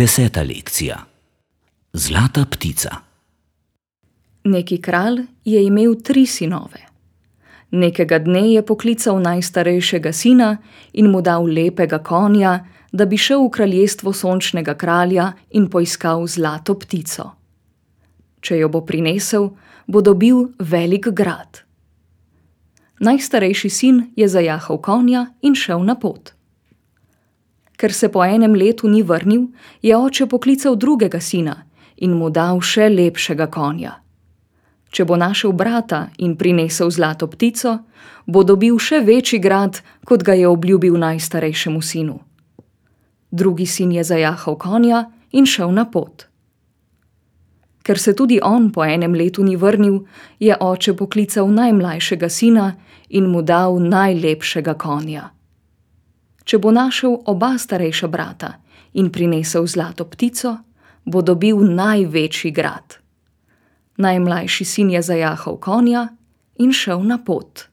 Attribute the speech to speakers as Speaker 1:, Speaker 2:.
Speaker 1: 10. lekcija. Zlata ptica.
Speaker 2: Neki kralj je imel 3 sinove. Nekega dne je poklical najstarejšega sina in mu dal lepega konja, da bi šel v kraljestvo sončnega kralja in poiskal zlato ptico. Če jo bo prinesel, bo dobil velik grad. Najstarejši sin je zajahal konja in šel na pot. Ker se po enem letu ni vrnil, je oče poklical drugega sina in mu dal še lepšega konja. Če bo našel brata in prinesel zlato ptico, bo dobil še večji grad, kot ga je obljubil najstarejšemu sinu. Drugi sin je zajahal konja in šel na pot. Ker se tudi on po enem letu ni vrnil, je oče poklical najmlajšega sina in mu dal najlepšega konja. Če bo našel oba starejša brata in prinesel zlato ptico, bo dobil največji grad. Najmlajši sin je zajahal konja in šel na pot.